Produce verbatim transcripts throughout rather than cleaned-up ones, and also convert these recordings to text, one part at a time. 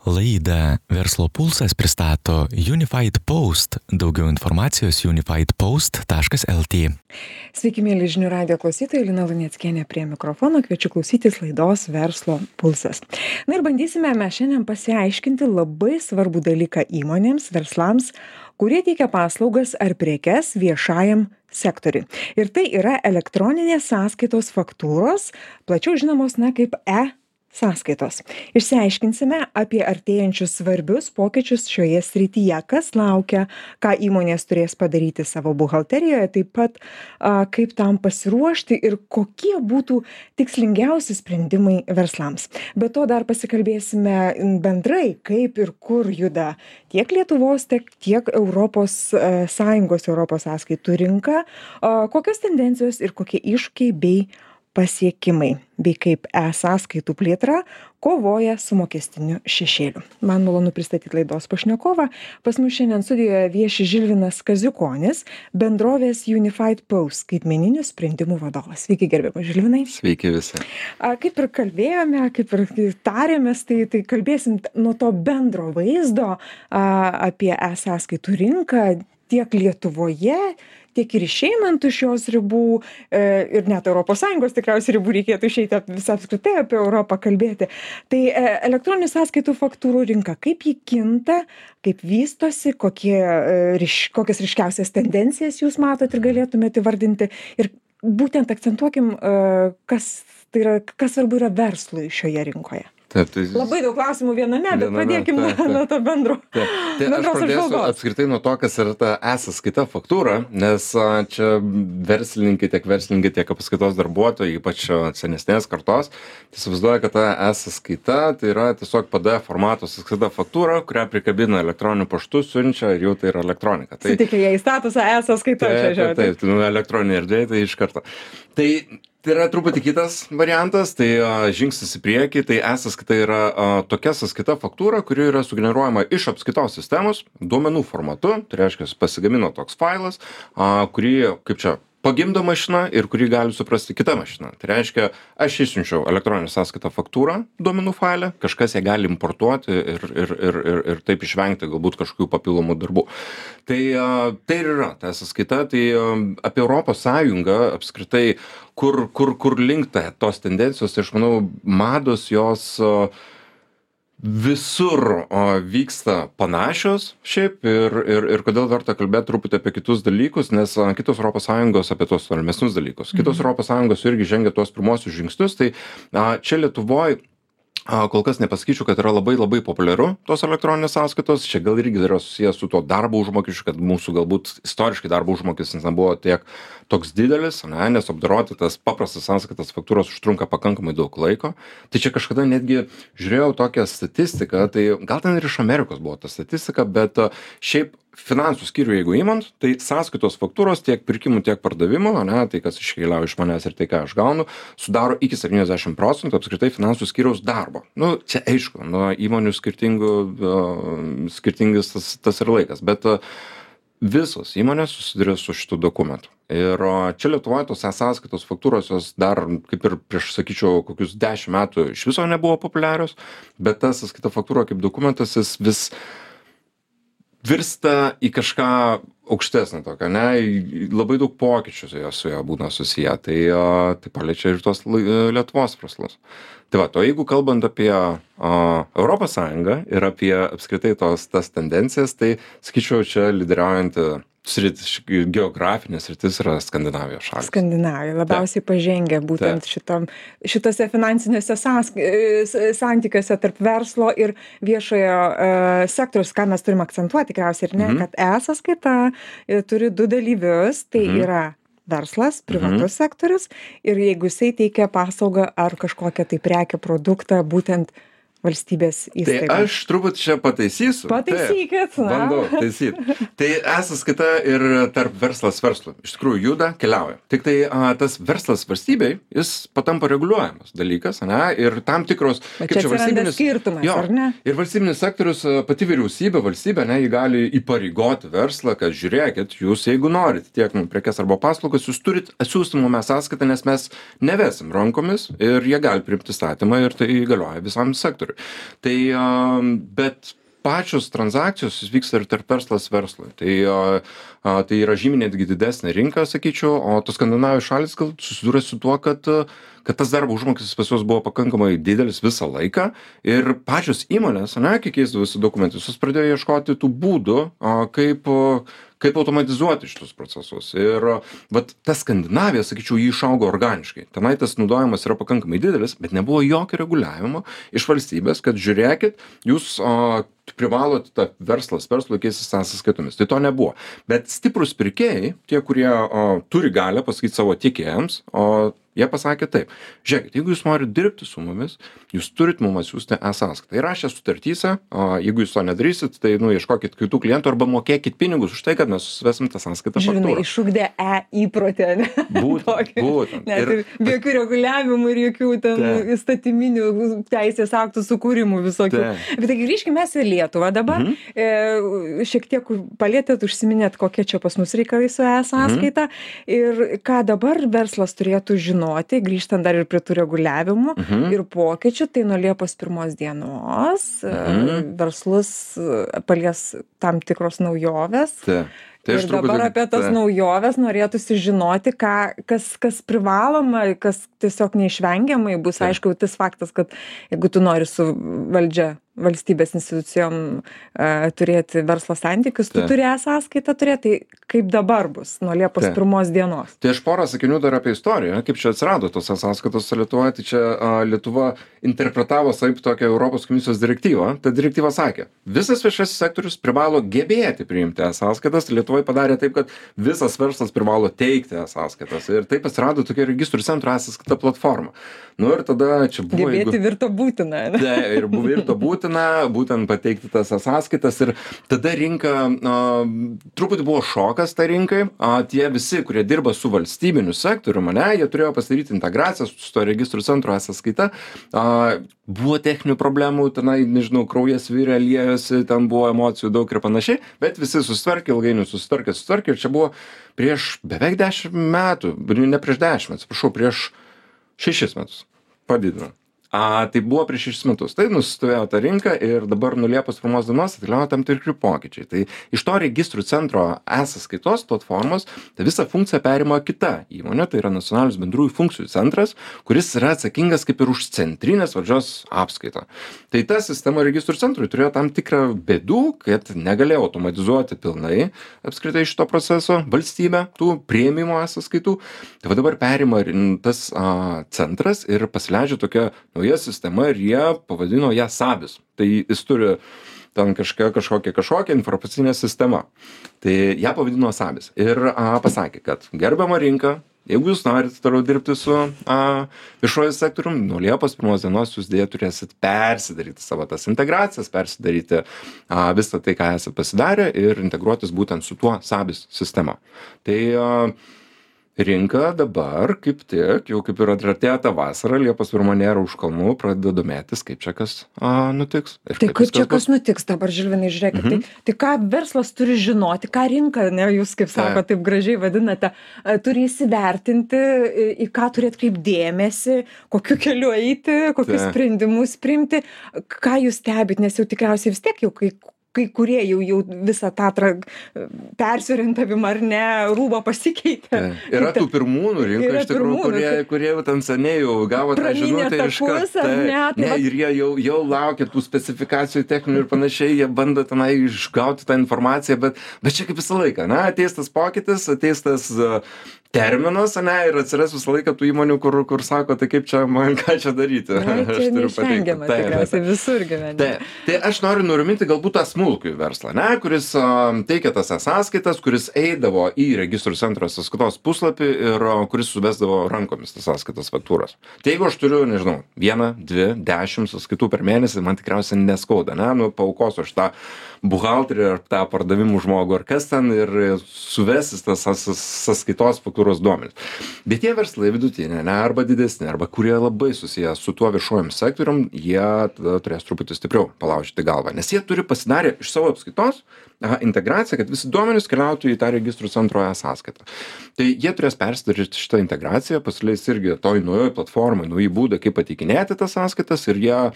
Laidą Verslo pulsas pristato Unified Post. Daugiau informacijos unified post taškas el tė. Sveiki, mėly žinių radijo klausytojai, Lina Luneckienė prie mikrofono, kviečiu klausytis laidos Verslo pulsas. Na ir bandysime mes šiandien pasiaiškinti labai svarbų dalyką įmonėms, verslams, kurie teikia paslaugas ar prekes viešajam sektoriui. Ir tai yra elektroninės sąskaitos faktūros, plačiau žinomos na kaip e sąskaitos. Išsiaiškinsime apie artėjančius svarbius pokyčius šioje srityje, kas laukia, ką įmonės turės padaryti savo buhalterijoje, taip pat a, kaip tam pasiruošti ir kokie būtų tikslingiausi sprendimai verslams. Be to dar pasikalbėsime bendrai, kaip ir kur juda tiek Lietuvos, tiek, tiek Europos a, Sąjungos Europos sąskaitų rinka, a, kokios tendencijos ir kokie iššūkiai bei pasiekimai, bei kaip e-sąskaitų plėtra kovoja su mokestiniu šešėliu. Man malonu pristatyti laidos pašnekovą. Pas mus šiandien studijoje vieši Žilvinas Kaziukonis, bendrovės Unified Post skaitmeninių sprendimų vadovas. Sveiki, gerbiamas Žilvinai. Sveiki visi. A, kaip ir kalbėjome, kaip ir tarėmės, tai, tai kalbėsim nuo to bendro vaizdo a, apie e-sąskaitų rinką tiek Lietuvoje, tiek ir išeinant iš jos ribų e, ir net Europos Sąjungos tikriausiai ribų reikėtų išeiti visą apskritai apie Europą kalbėti. Tai e, elektroninių sąskaitų faktūrų rinka, kaip ji kinta, kaip vystosi, kokie, e, ryš, kokias ryškiausias tendencijas jūs matot ir galėtumėte įvardinti. Ir būtent akcentuokim, e, kas, tai yra, kas svarbu yra verslui šioje rinkoje. Taip, tai... Labai daug klausimų viename, bet pradėkim nuo, nuo to bendro. Taip. Tai aš pradėsiu apskritai nuo to, kas yra ta e-sąskaita faktūra, nes čia verslininkai, tiek verslininkai, tiek apskaitos darbuotojai, ypač senesnės kartos, tai įsivaizduoja, kad ta e-sąskaita tai yra tiesiog P D F formato sąskaita faktūra, kurią prikabina elektroniniu paštu, siunčia ir jau tai yra elektronika. Tai suteikia jai statusą e-sąskaita. Taip, taip, taip, tai nu, elektroninė erdvė, tai iš karto. Tai Tai yra truputį kitas variantas, tai a, žingsnis į priekį, tai e-sąskaita yra a, tokia sąskaita faktūra, kuri yra sugeneruojama iš apskaitos sistemos duomenų formatu, tai reiškia, pasigamino toks failas, a, kurį, kaip čia, pagimdo mašina ir kurį gali suprasti kita mašina. Tai reiškia, aš išsiunčiau elektroninę sąskaitą faktūrą duomenų failę, kažkas ją gali importuoti ir, ir, ir, ir, ir taip išvengti galbūt kažkokių papildomų darbų. Tai, tai ir yra ta sąskaita, tai apie Europos Sąjungą apskritai, kur, kur, kur linkta tos tendencijos, tai aš manau, mados jos visur o, vyksta panašios šiaip ir, ir, ir kodėl verta kalbėti truputį apie kitus dalykus, nes a, kitos Europos Sąjungos apie tos tolimesnius dalykus. Kitos mhm. Europos Sąjungos irgi žengia tuos pirmosius žingsnius, tai a, čia Lietuvoj a, kol kas nepasakyčiau, kad yra labai labai populiaru tos elektroninės sąskaitos. Čia gal irgi yra susijęs su tuo darbo užmokesčiu, kad mūsų galbūt istoriškai darbo užmokestis nebuvo tiek toks didelis, ne, nes apdoroti tas paprastas sąskaitas faktūros užtrunka pakankamai daug laiko. Tai čia kažkada netgi žiūrėjau tokią statistiką, tai gal ten ir iš Amerikos buvo ta statistika, bet šiaip finansų skyrių, jeigu įmant, tai sąskaitos faktūros tiek pirkimų, tiek pardavimų, ne, tai kas iškeliauja iš manęs ir tai, ką aš gaunu, sudaro iki septyniasdešimt procentų apskritai finansų skyriaus darbo. Nu, čia aišku, nuo įmonių skirtingų, uh, skirtingas tas, tas ir laikas, bet uh, visos įmonės susiduria su šitų dokumentų. Ir čia Lietuvoje tos e-sąskaitos faktūros jos dar, kaip ir prieš, sakyčiau, kokius dešimt metų iš viso nebuvo populiarios, bet ta sąskaita faktūra kaip dokumentas jis vis virsta į kažką aukštesnį tokią, ne, labai daug pokyčių su jo, su jo būna susiję, tai, tai paliečia ir tos Lietuvos verslus. Tai va, to jeigu kalbant apie a, Europos Sąjungą ir apie apskritai tos tas tendencijas, tai sakyčiau, čia lyderiaujanti sritis, geografinės sritis yra Skandinavijos šalys. Skandinavija labiausiai Taip. pažengę būtent Taip. šitom, šitose finansinėse sąsk... santykiuose tarp verslo ir viešojo uh, sektoriaus, ką mes turim akcentuoti tikriausiai, ir ne, mm-hmm. kad e-sąskaita turi du dalyvius, tai mm-hmm. yra verslas, privatus mm-hmm. sektorius ir jeigu jisai teikia paslaugą ar kažkokią tai prekę, produktą, būtent valstybės įstaigos. Tai aš truputį čia pataisysiu. Pataisykit. Taip, bandau taisyti. Tai e-sąskaita ir tarp verslas verslui. Iš tikrųjų juda, keliauja. Tik tai a, tas verslas valstybei, jis patampa reguliuojamas dalykas, ne? Ir tam tikros... Bet čia atsiranda skirtumas, jo, ar ne? Ir valstybinis sektorius, pati vyriausybė, valstybė, ne, jį gali įpareigoti verslą, kad žiūrėkit, jūs jeigu norit tiek prekes arba paslaugas, jūs turit atsiųsti mum e-sąskaitą, nes mes nevesim rankomis ir jie gali priimti statymą ir tai galioja visam sektoriui. Tai, bet pačios transakcijos vyksta ir tarp verslas verslui. Tai, tai yra žymiai netgi didesnė rinka, sakyčiau, o tos Skandinavijos šalis gal susidūrė su tuo, kad, kad tas darbo užmokestis pas juos buvo pakankamai didelis visą laiką ir pačios įmonės, ne, kai keisdavosi dokumentus, jos pradėjo ieškoti tų būdų, kaip kaip automatizuoti šitus procesus. Ir vat ta Skandinavija, sakyčiau, jį išaugo organiškai. Tenai tas naudojimas yra pakankamai didelis, bet nebuvo jokio reguliavimo iš valstybės, kad žiūrėkit, jūs o, privalot tą verslas, verslui keistis sąskaitomis. Tai to nebuvo. Bet stiprus pirkėjai, tie, kurie o, turi galią pasakyti savo tiekėjams, o jie pasakė taip, žiūrėkit, jeigu jūs norit dirbti su mumis, jūs turit mums atsiųsti e-sąskaitą. Ir rašė sutartyse, o jeigu jūs to nedarysit, tai nu, ieškokit kitų klientų arba mokėkit pinigus už tai, kad mes susivesim tą sąskaitą faktūrą. Žinai, išugdė e-įprotę, ne? Būtent, būtent. Net ir be jokių reguliavimų ir jokių ten Te. įstatyminių teisės aktų sukūrimų visokių. Te. Bet taigi grįžkime mes į Lietuvą dabar. Mhm. E, šiek tiek palėtėt, užsiminėt, kokie čia pas mus reikalai su e-sąskaita. Mhm. Ir ką dabar verslas turėtų žinoti, grįžtant dar ir prie tų reguliavimų mhm. ir pokyčių, tai nuo Liepos pirmos dienos mhm. verslus palies tam tikros naujovės. Tai. Tai ir dabar apie tas ta... naujoves norėtųsi žinoti, ką, kas, kas privaloma, kas tiesiog neišvengiamai bus. Ta. Aišku, tas faktas, kad jeigu tu nori su valdžia, valstybės institucijom uh, turėti verslo santykius, tu Ta. turi e-sąskaitą turėti, tai kaip dabar bus nuo Liepos pirmos dienos. Tai aš porą sakinių dar apie istoriją, kaip čia atsirado tos e-sąskaitos Lietuvoje. Tai čia uh, Lietuva interpretavo taip tokią Europos komisijos direktyvą. Ta direktyva sakė, visas viešasis sektorius privalo gebėti priimti e-sąskaitas. Lietuvoje padarė taip, kad visas verslas privalo teikti e-sąskaitas. Ir taip atsirado tokia registrų centro e-sąskaita platforma. Nu ir tada čia buvo... Gebėti jeigu... virto būtina. Ne? Tai, ir buvo virto būtina, būtent pateikti tas e-sąskaitas. Ir tada rinka, a, truputį buvo šokas tai rinkai. A, tie visi, kurie dirba su valstybiniu sektoriu, mane, jie turėjo pasidaryti integraciją su to registrų centro e-sąskaita. A, buvo techninių problemų, tenai, nežinau, kraujas virė, liejosi, ten buvo emocijų daug ir panašiai, bet visi susitvarkė, ilgainiui susitvarkė, susitvarkė. Ir čia buvo prieš beveik dešimt metų, ne prieš dešimt, atsiprašau, prieš šešis metus padidino. A, tai buvo prieš šešis metus. Tai nusistovėjo ta rinka ir dabar nuo Liepos pirmos dienos atkeliauja tam tikri pokyčiai. Tai iš to registrų centro e-sąskaitos platformos tai visą funkciją perima kita įmonė, tai yra nacionalinis bendrųjų funkcijų centras, kuris yra atsakingas kaip ir už centrinės valdžios apskaitą. Tai ta sistema registrų centrui turėjo tam tikrą bėdų, kad negalėjo automatizuoti pilnai apskritai šito proceso valstybė, tų priėmimo e-sąskaitų. Tai va dabar perima tas a, centras ir pasileidžia tokia nauja sistema ir jie pavadino ją Sabis. Tai jis turi ten kažkokia, kažkokia, kažkokia informacinė sistema. Tai ją pavadino Sabis. Ir a, pasakė, kad gerbiama rinka, jeigu jūs norite toliau dirbti su a, viešuoju sektorium, nuo Liepos pirmos dienos jūs dėja turėsit persidaryti savo tas integracijas, persidaryti a, visą tai, ką esate pasidarę ir integruotis būtent su tuo Sabis sistema. Tai a, rinka dabar, kaip tik, jau kaip ir atratėjo tą vasarą, Liepos pirma nėra už kalnų, pradeda domėtis, kaip čia kas a, nutiks. Ir tai kaip čia kas bus. Nutiks dabar, Žilvinai, žiūrėkit, mhm. tai, tai ką verslas turi žinoti, ką rinka, ne, jūs kaip sako, taip gražiai vadinate, turi įsivertinti, į ką turi atkreipti dėmesį, kokiu keliu eiti, kokius tai. sprendimus priimti, ką jūs stebit, nes jau tikriausiai vis tiek jau kai kai kurie jau, jau visą tą tra... persiorientavimą ar ne, rūbą pasikeitė. Tai. Yra tų pirmūnų rinko, iš tikrųjų, kurie, kurie jau ten seniai jau gavo tą žinutę iš karto. Ne, ne, ir jie jau, jau laukia tų specifikacijų techninių ir panašiai, jie bando tenai išgauti tą informaciją, bet, bet čia kaip visą laiką, na, ateis tas pokytis, ateis tas uh, terminas, ne, ir atsiras visą laiką tų įmonių, kur, kur sako, tai kaip čia man ką čia daryti. Na, čia neišvengiama tikriausiai visur gyvenime. Tai, tai aš noriu nuraminti galbūt tą smulkųjį verslą, ne, kuris uh, teikia tas sąskaitas, kuris eidavo į registrų centro sąskaitos puslapį ir uh, kuris suvesdavo rankomis tas sąskaitas faktūras. Tai jeigu aš turiu, nežinau, vieną, dvi, dešimt sąskaitų per mėnesį, man tikriausiai neskauda, ne, nu, paaukosiu aš tą buhalterį ar tą pardavimų žmogų ar kas ten ir suvesis tas sąskaitos faktūros duomenis. Bet tie verslai vidutinė, ne, arba didesni, arba kurie labai susiję su tuo viešuojam sektorium, jie tada turės truputį stipriau palaužyti galvą, nes jie turi pasidarę iš savo apskaitos aha, integraciją, kad visi duomenys keliautų į tą registrų centro e-sąskaitą. Tai jie turės persidaryti šitą integraciją, pasileis irgi toj naujoj platformai, nauji būdai, kaip pateikinėti tas sąskaitas ir jie a,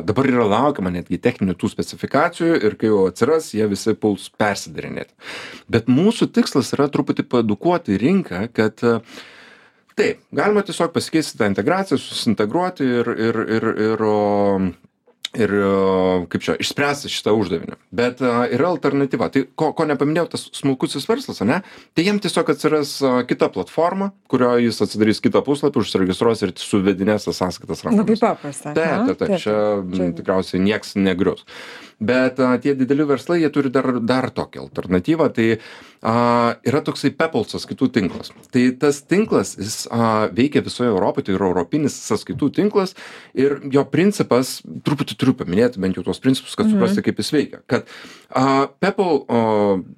dabar yra laukiama netgi techninių tų specifikacijų ir kai jau atsiras, jie visi puls persidarinėti. Bet mūsų tikslas yra truputį paedukuoti rinką, kad taip, galima tiesiog pasikeisti tą integraciją, susintegruoti ir, ir, ir, ir, ir kaip čia, išspręsti šitą uždavinį. Bet uh, yra alternatyva. Tai ko, ko nepaminėjau, tas smulkusis verslas, ne? Tai jiem tiesiog atsiras uh, kita platforma, kurioje jis atsidarys kitą puslapį, užsiregistruos ir suvedinės tas sąskaitas rankomis. Labai paprasta. Taip, taip, taip, čia, čia tikriausiai nieks negrius. Bet a, tie dideli verslai, jie turi dar, dar tokią alternatyvą, tai a, yra toksai PEPL sąskaitų tinklas. Tai tas tinklas, jis a, veikia visoje Europoje, tai yra europinis sąskaitų tinklas ir jo principas, truputį turiu paminėti bent jau tuos principus, kad mhm. suprasti, kaip jis veikia. Kad a, PEPL a,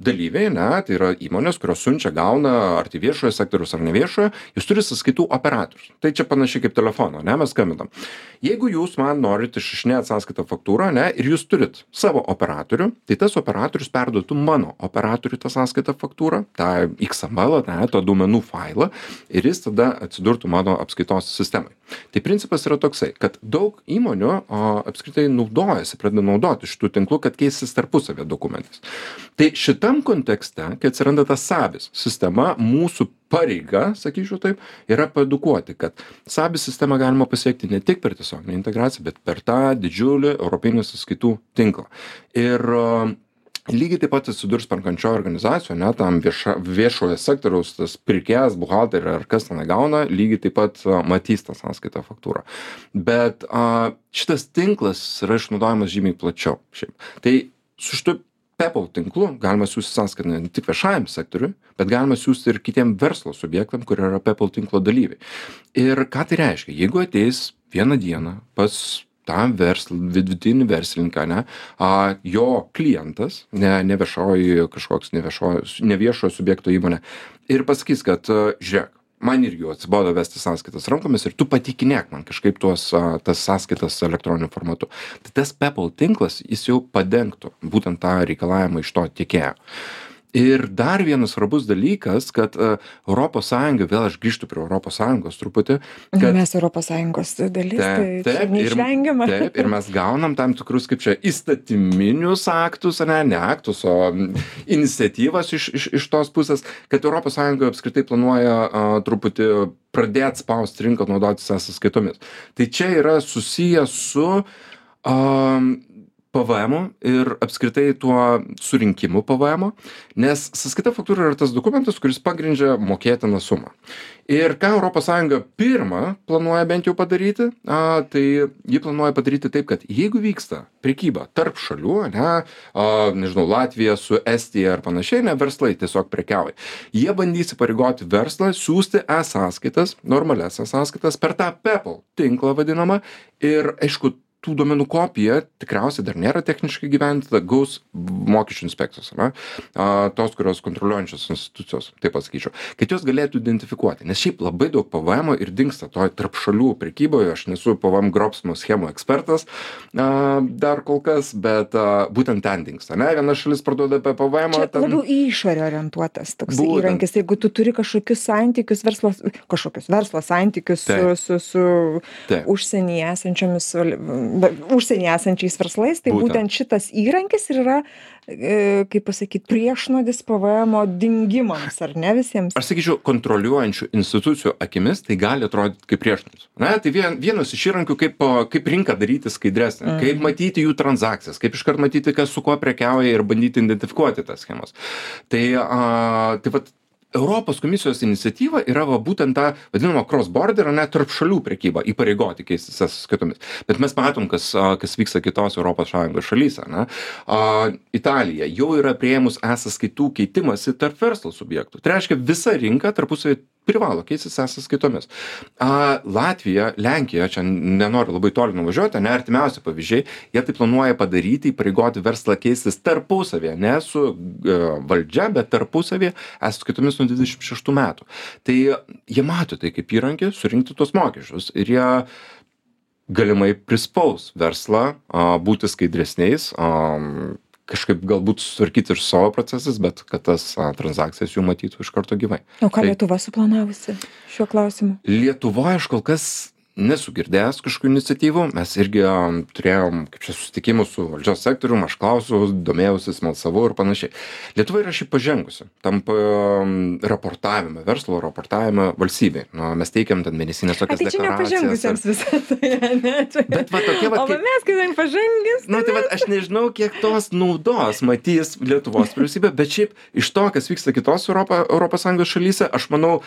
dalyviai, ne, tai yra įmonės, kurios siunčia, gauna, ar tai viešojo sektoriaus, ar neviešojo, jūs turi sąskaitų operatorius. Tai čia panašiai kaip telefono, ne, mes skambinam. Jeigu jūs man norite išrašinėti sąskaitą faktūrą, ne, ir jūs turit savo operatorių, tai tas operatorius perduotų mano operatoriui tą sąskaitą faktūrą, tą X M L, ne, to duomenų failą, ir jis tada atsidurtų mano apskaitos sistemai. Tai principas yra toksai, kad daug įmonių o, apskritai naudojasi, pradeda naudoti šitų tinklų, kad keistis tarpusavę dokumentais. Tai šitam kontekste, kai atsiranda tas sabis sistema, mūsų pareiga, sakyčiau taip, yra paedukuoti, kad sabis sistemą galima pasiekti ne tik per tiesioginę integraciją, bet per tą didžiulį europinį sąskaitų tinklą. Ir uh, lygiai taip pat atsidurs perkančioje organizacijoje, ne, tam vieša, viešoje sektoriaus, tas pirkėjas, buhalterė ar kas ten gauna, lygiai taip pat uh, matys tą sąskaitą faktūrą. Bet uh, šitas tinklas yra išnaudojamas žymiai plačiau. Šiaip. Tai su šitu PEPL tinklu galima siūsti sąskaitą ne tik viešajam sektoriui, bet galima siūsti ir kitiem verslo subjektam, kurie yra PEPL tinklo dalyviai. Ir ką tai reiškia? Jeigu ateis vieną dieną pas tą verslą, vidutinį verslininką, ne, a, jo klientas, ne, ne viešoji kažkoks neviešojo, neviešojo subjekto įmonė, ir pasakys, kad žiūrėk, man irgi jau atsibodo vesti sąskaitas rankomis ir tu patikinėk man kažkaip tuos, a, tas sąskaitas elektroniniu formatu. Tai tas PEPL tinklas, jis jau padengtų būtent tą reikalavimą iš to tiekėjo. Ir dar vienas svarbus dalykas, kad uh, Europos Sąjunga, vėl aš grįžtu prie Europos Sąjungos truputį. Kad, mes Europos Sąjungos dalis, taip, tai taip, neišvengiama. Ir, taip, ir mes gaunam tam tikrus, kaip čia, įstatyminius aktus, ne, ne aktus, o iniciatyvas iš, iš, iš tos pusės, kad Europos Sąjunga apskritai planuoja uh, truputį pradėti spausti rinką naudotis e-sąskaitomis. Tai čia yra susiję su um, P V M ir apskritai tuo surinkimu P V M, nes sąskaita faktūra yra tas dokumentas, kuris pagrindžia mokėtiną sumą. Ir ką Europos Sąjunga pirmą planuoja bent jau padaryti, a, tai ji planuoja padaryti taip, kad jeigu vyksta prekyba tarp šalių, ne, a, nežinau, Latvija su Estija ar panašiai, ne, verslai tiesiog prekiauja. Jie bandys įpareigoti verslą siūsti e-sąskaitas, normalias e-sąskaitas per tą PEPL tinklą vadinamą ir, aišku, tų duomenų kopija tikriausiai dar nėra techniškai gyvendinta, gaus mokesčių inspekcijos, ne? A, tos, kurios kontroliuojančios institucijos, taip pasakyčiau, kad jos galėtų identifikuoti, nes šiaip labai daug P V M ir dingsta toj tarp šalių prekyboje, aš nesu P V M grobsmo schemų ekspertas a, dar kol kas, bet a, būtent ten dingsta, ne? Viena šalis parduoda P V M. Čia ten... labiau į išorę orientuotas toks būtent įrankis, jeigu tu turi kažkokius santykius, verslo, kažkokius verslo santykius taip. su, su, su užsienyje esančiomis užsienį esančiais verslais, tai būtent, būtent šitas įrankis ir yra, e, kaip pasakyti, priešnodis P V M dingimams, ar ne visiems? Aš sakyčiau, kontroliuojančių institucijų akimis tai gali atrodyti kaip priešnodis. Na, tai vien, vienas iš įrankių, kaip, kaip rinką daryti skaidresnę, mm. kaip matyti jų transakcijas, kaip iškart matyti, kas su kuo prekiauja ir bandyti identifikuoti tas schemas. Tai, a, tai vat, Europos komisijos iniciatyva yra va, būtent ta vadinama cross-border, net tarp šalių prekyba, įpareigoti keistis sąskaitomis. Bet mes matom, kas, kas vyksta kitos Europos Sąjungos šalyse. Ne? A, Italija jau yra priėmus e-sąskaitų keitimąsi tarp verslo subjektų. Tai reiškia, visa rinka tarpusavį privalo keistis e-sąskaitomis. A, Latvija, Lenkija, čia nenoriu labai toli nuvažiuoti, ne artimiausi pavyzdžiai, jie tai planuoja padaryti, įpareigoti verslą keistis tarpusavėje, ne su e, valdžia, bet tarpusavėje e-sąskaitomis nuo dvidešimt šeštų metų. Tai jie mato tai kaip įrankį surinkti tuos mokesčius ir jie galimai prispaus verslą a, būti skaidresniais, a, kažkaip galbūt sutvarkyti ir savo procesas, bet kad tas a, transakcijas jų matytų iš karto gyvai. O ką Tai- Lietuva suplanavusi šiuo klausimu? Lietuvoje aš kol kas nesu girdėjęs kažkokių iniciatyvų. Mes irgi um, turėjom kaip čia susitikimus su valdžios sektorium, aš klausiau, domėjausi, smalsavau ir panašiai. Lietuva yra šiaip pažengusi tam um, raportavime, verslo raportavime valstybei. Nu, mes teikiam ten mėnesinės A, tokias tai čia deklaracijas. nepažengusiems visą tai, ne? Čia... Bet va tokie va, O va kaip- mes, kai pažengęs, Nu, tai va, aš nežinau, kiek tos naudos matys Lietuvos vyriausybė, bet šiaip iš to, kas vyksta kitos Europo, Europos Sąjungos šalyse, aš manau,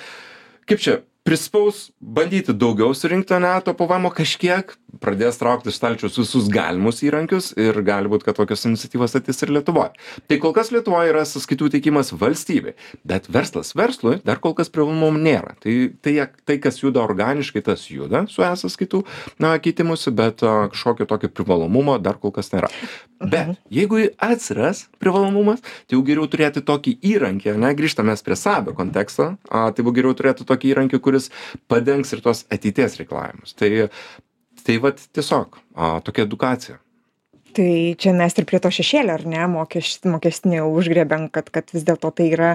kaip čia, prispaus bandyti daugiau surinkti, ne, to P V M kažkiek, pradės traukti iš stalčiaus visus galimus įrankius ir gali būti, kad tokios iniciatyvos atės ir Lietuvoje. Tai kol kas Lietuvoje yra sąskaitų teikimas valstybei, bet verslas verslui dar kol kas privalumų nėra. Tai, tai, tai, kas juda organiškai, tas juda su e-sąskaitų na, keitimusi, bet a, kažkokio tokio privalomumo dar kol kas nėra. Bet jeigu atsiras privalomumas, tai jau geriau turėti tokį įrankį, ne, grįžtame prie SABIO konteksto, a, tai jau geriau turėti tokį įrankį, kuris padengs ir tos ateities reikalavimus. Tai, tai vat tiesiog a, tokia edukacija. Tai čia mes ir prie to šešėlio, ar ne, mokeš, mokestinio užgriebėm, kad, kad vis dėlto tai yra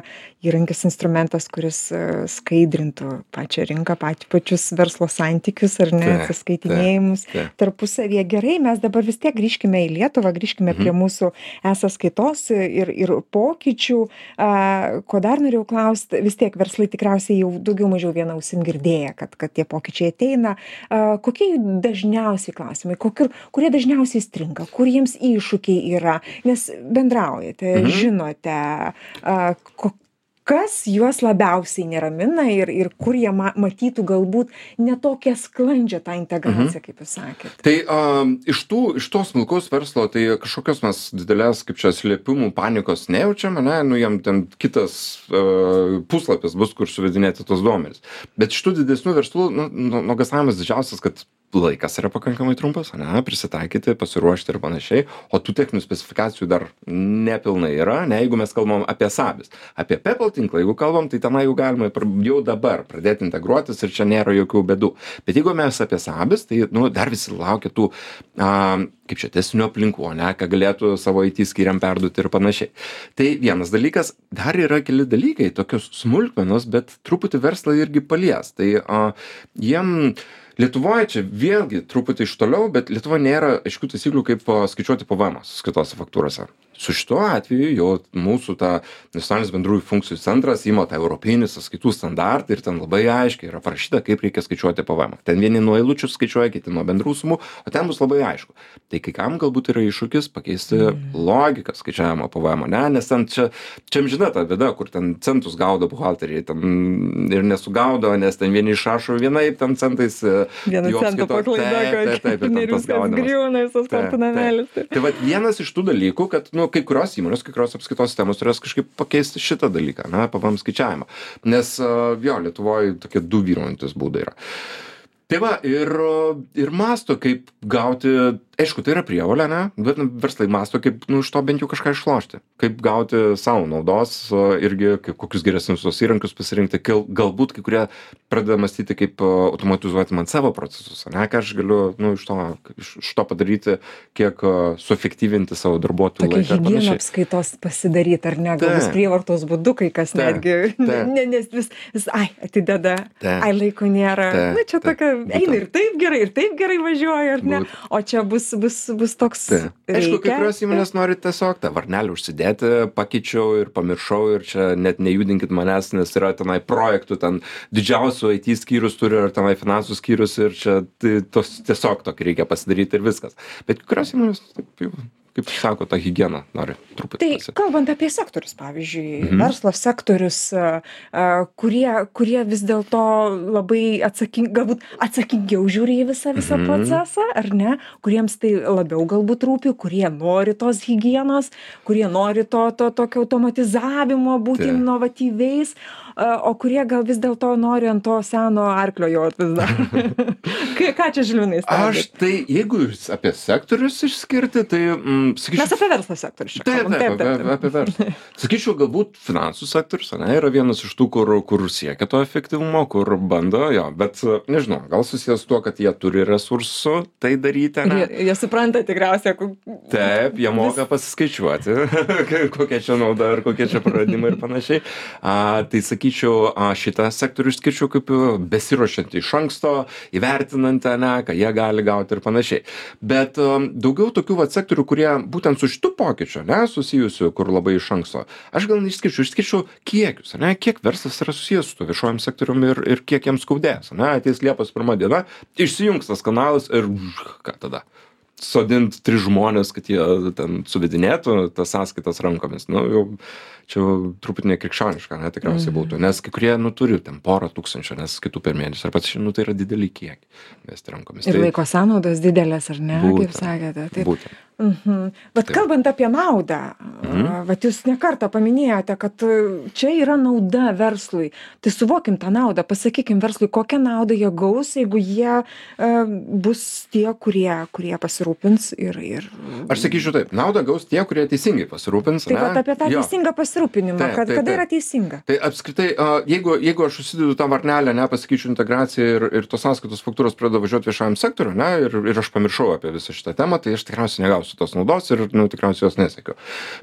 įrankis, instrumentas, kuris e, skaidrintų pačią rinką, pat, pačius verslo santykius, ar ne, Taip, atsiskaitinėjimus taip, taip. tarpusavyje. Gerai, mes dabar vis tiek grįžkime į Lietuvą, grįžkime prie mūsų e-sąskaitos ir, ir pokyčių. A, ko dar norėjau klausti, vis tiek verslai tikriausiai jau daugiau mažiau vieną ausim girdėję, kad, kad tie pokyčiai ateina. A, kokie jų dažniausiai klausimai, kokie, kurie dažniausiai stringa, kur jiems iššūkiai yra, nes bendraujate, Mhm. žinote, a, ko, kas juos labiausiai neramina ir, ir kur jie ma, matytų galbūt netokią sklandžią tą integraciją, kaip jūs sakėte. Tai um, iš, tų, iš to smulkaus verslo, tai kažkokios mes didelės, kaip čia, slėpimų, panikos nejaučiam, ne, nu jam ten kitas uh, puslapis bus, kur suvedinėti tos duomenys. Bet iš tų didesnių verslų, nu, nu, nuogąstavimas didžiausias, kad laikas yra pakankamai trumpas, ne, prisitaikyti, pasiruošti ir panašiai, o tų techninių specifikacijų dar nepilnai yra, ne, jeigu mes kalbam apie SABIS. Apie PayPal tinklą, jeigu kalbam, tai tenai jau galima jau dabar pradėti integruotis ir čia nėra jokių bėdų. Bet jeigu mes apie SABIS, tai nu, dar visi laukia tų, a, kaip čia, testinių aplinkų, ne, ką galėtų savo I T skyriam perduoti ir panašiai. Tai vienas dalykas, dar yra keli dalykai, tokios smulkmenos, bet truputį verslą irgi palies. Tai a, jiem Lietuvoje čia vėlgi truputį iš toliau, bet Lietuvoje nėra aiškių taisyklių, kaip a, skaičiuoti P V M sąskaitose faktūrose. Su šituo atveju jau mūsų ta nacionalinis bendrųjų funkcijų centras ima tą europinį sąskaitų standartą ir ten labai aiškiai yra parašyta, kaip reikia skaičiuoti P V M. Ten vieni nuo eilučių skaičiuoja, kiti nuo bendrų sumų, o ten bus labai aišku. Tai kai kam galbūt yra iššūkis pakeisti logiką skaičiavimo P V M, ne? Nes ten čia, čia amžina ta bėda, kur ten centus gaudo buhalteriai ten ir nesugaudo, nes ten vieni išrašo vienaip, ten centais. Vieną centą paklaida, kad ir viskas griūna, visas kortų namelis. Tai vat vienas iš tų dalykų, kad nu, kai kurios įmonės, kai kurios apskaitos sistemos turės kažkaip pakeisti šitą dalyką, na, P V M skaičiavimą. Nes jo, Lietuvoje tokie du vyraujantis būdai yra. Tai va, ir, ir masto, kaip gauti, aišku, tai yra prievolė, ne, bet verslai masto, kaip nu, iš to bent jau kažką išlošti, kaip gauti savo naudos, irgi kaip kokius geresnius tos įrankius pasirinkti, galbūt kai kurie pradeda mąstyti, kaip automatizuoti man savo procesus, ne, ką aš galiu nu, iš, to, iš, iš to padaryti, kiek suefektyvinti savo darbuotojų laiką. Tokia higieną apskaitos pasidaryti, ar ne, galbūt prievartos būdu, kai kas ta, netgi, ta. Ne, nes vis, vis, ai, atideda, ta. ai, laiko nėra, ta. na, čia tokia, eina ir taip gerai, ir taip gerai važiuoja, ar ne, Būt. o čia bus, bus, bus toks. Ta. Aišku, kai kurios įmonės nori tiesiog tą varnelį užsidėti, pakeičiau ir pamiršau ir čia net nejudinkit manęs, nes yra tenai projektų, ten didžiausių I T skyrius turi ar tenai finansų skyrius ir čia tai, tos, tiesiog tokį reikia pasidaryti ir viskas. Bet kai kurios įmonės taip jau kaip sako, tą higieną nori truputį. Tai pasi- kalbant apie sektorius, pavyzdžiui, Mhm. verslo sektorius, a, a, kurie, kurie vis dėlto labai atsaking, galbūt atsakingiau žiūri į visą, visą Mhm. procesą, ar ne, kuriems tai labiau galbūt rūpi, kurie nori tos higienos, kurie nori to, to tokio automatizavimo, būti Taip. inovatyviais, a, o kurie gal vis dėlto nori ant to seno arklio jot vis dar. Ką ką čia Žilvinai Aš stebit? tai, jeigu jūs apie sektorius išskirti, tai, mm, sakyčiau, Mes apie verslo sektorius čia Taip, kalbam. taip, apie, apie verslą. Sakyčiau, galbūt finansų sektorius, ne, yra vienas iš tų, kur, kur siekia to efektyvumo, kur bando, jo, bet, nežinau, gal susijęs su tuo, kad jie turi resursų tai daryti, ne? Jie, jie supranta tikriausiai, ku- Taip, jie moka pasiskaičiuoti, kokia čia nauda ar kokie čia praradimai ir panašiai. A, tai sakyčiau, a, šitą sektorių išskirčiau kaip besiruošiant iš anksto, įvertinant, ne, ką jie gali gauti ir panašiai. Bet um, daugiau tokių vat sektorių, kurie būtent su šitu pokyčiu, ne, susijusiu, kur labai iš anksto. Aš gal neišskirčiau, išskirčiau kiekius, ne, kiek verslas yra susijęs su to viešojim sektoriumi ir, ir kiek jiems skaudės, ne, ateis Liepos pirmą diena, išsijungs tas kanalas ir ką tada? Sodint tris žmonės, kad jie ten suvedinėtų tas sąskaitas rankomis. Nu, jau čia jau truputį nekrikščioniška, ne, tikriausiai būtų. Nes kai kurie, nu, turi ten porą tūkstančių, nes kitų per mėnesį. Ar pats, nu, tai yra dideli kiekiai mesti rankomis. ir Tai laiko sąnaudos didelės, ar ne, kaip Būtent. sakėte. Taip. būtent. Mhm. Bet Taip. kalbant apie naudą, Mhm. a, vat jūs nekartą paminėjote, kad a, čia yra nauda verslui. Tai suvokim tą naudą, pasakykim verslui, kokią naudą jie gaus, jeigu jie a, bus tie, kurie, kurie pasirūpins ir... ir... Aš sakyčiau taip, naudą gaus tie, kurie teisingai pasirūpins. Taip ne? pat apie tą Jo. teisingą pasirūpinimą, Taip, kad, taip, kada taip. yra teisinga. Tai apskritai, a, jeigu, jeigu aš susidedu tą varnelę, ne, pasakyčiau integraciją ir, ir tos sąskaitos faktūros pradeda važiuoti viešajam sektoriu, ne, ir, ir aš pamiršau apie visą šitą temą, tai aš tikriausiai negausiu tos naudos ir, nu, tikriausiai jos nesiekiu.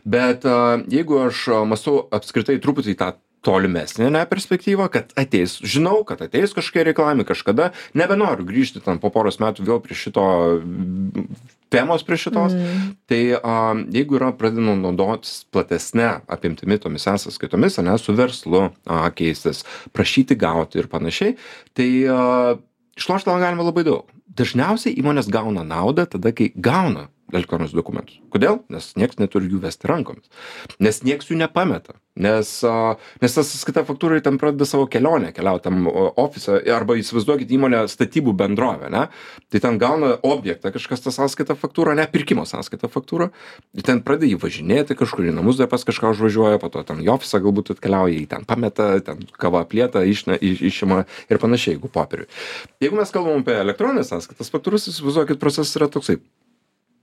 Bet a, jeigu aš a, mąstau apskritai truputį į tą tolimesnė, ne, perspektyva, kad ateis, žinau, kad ateis kažkokie reikalavimai kažkada, nebenoriu grįžti ten po poros metų vėl prie šito mm, temos prie šitos, mm. tai a, jeigu yra pradedama naudotis platesnė apimtimi tomis sąskaitomis, ne, su verslu a, keistis, prašyti gauti ir panašiai, tai a, išlošti galima labai daug. Dažniausiai įmonės gauna naudą tada, kai gauna elektroninius dokumentus. Kodėl? Nes nieks neturi jų vesti rankomis. Nes nieks jų nepameta. Nes, a, nes tas sąskaita faktūrai ten pradeda savo kelionę keliauti tam o, ofisą, arba įsivaizduokit įmonę statybų bendrovę, ne? Tai ten gauna objektą kažkas tą sąskaitą faktūrą, ne pirkimo sąskaitą faktūrą, ir ten pradeda jį važinėti kažkur į namus, dar pas kažką užvažiuoja, po to ten į ofisą galbūt atkeliauja, jį ten pameta, ten kava aplieta, išne, iš, išima ir panašiai, jeigu popieriui. Jeigu mes kalbam apie elektroninės sąskaitas faktūras, įsivaizduokit, procesas yra toksai.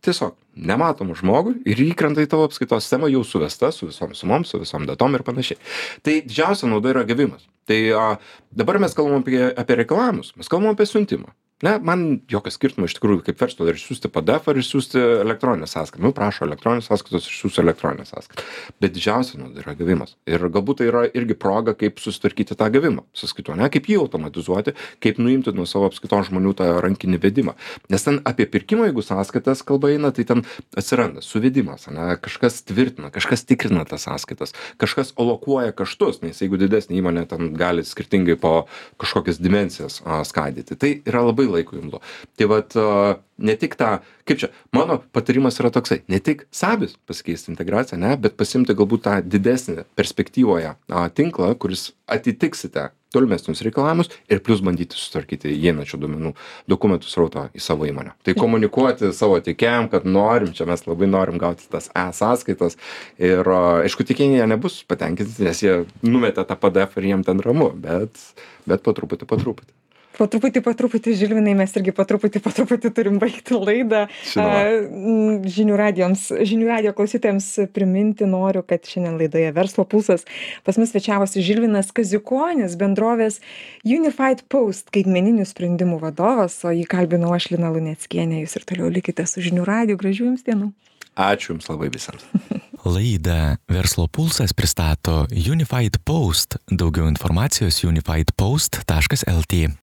Tiesiog nematomą žmogų ir įkrenta į tavo apskaitos sistemą jau suvesta su visom sumom, su visom datom ir panašiai. Tai didžiausia nauda yra gavimas. Tai a, dabar mes kalbam apie, apie reikalavimus, mes kalbam apie siuntimą. Ne, man jokio skirtumo iš tikrųjų kaip verslo ar išsiųsti P D F ar išsiųsti elektroninę sąskaitą. Nu, prašo elektroninės sąskaitos, išsiųsiu elektroninę sąskaitą. Bet didžiausia nauda yra gavimas. Ir galbūt tai yra irgi proga, kaip susitvarkyti tą gavimą sąskaitų, ne, kaip jį automatizuoti, kaip nuimti nuo savo apskaitos žmonių tą rankinį vedimą. Nes ten apie pirkimą, jeigu sąskaitas kalba eina, tai ten atsiranda suvedimas, ne, kažkas tvirtina, kažkas tikrina tas sąskaitas, kažkas alokuoja kaštus, nes jeigu didesnė įmonė ten gali skirtingai po kažkokias dimensijas a, skaidyti. Tai yra labai laiko imlu. Tai vat a, ne tik tą, kaip čia, mano patarimas yra toksai, ne tik sabis pasikeisti integraciją, ne, bet pasimti galbūt tą didesnį perspektyvoje a, tinklą, kuris atitiksite tolimesnius reikalavimus ir plus bandyti sutvarkyti įeinančių duomenų dokumentų srautą į savo įmonę. Tai komunikuoti savo tiekėjam, kad norim, čia mes labai norim gauti tas e-sąskaitas ir aišku, tiekėjai nebus patenkinti, nes jie numetė tą P D F ir jiem ten ramu, bet, bet po truputį, po truputį. Po truputį, po truputį, Žilvinai, mes irgi po truputį, po truputį turim baigti laidą. Žinoma. A, Žinių radijoms, žinių radijo klausytojams priminti noriu, kad šiandien laidoje Verslo pulsas pas mus svečiavosi Žilvinas Kaziukonis, bendrovės Unified Post skaitmeninių sprendimų vadovas, o jį kalbinau aš, Lina Luneckienė. Jūs ir toliau likite su Žinių radiju. Gražių jums dienų. Ačiū Jums labai visiems. Laidą Verslo pulsas pristato Unified Post. Daugiau informacijos unified post taškas lt.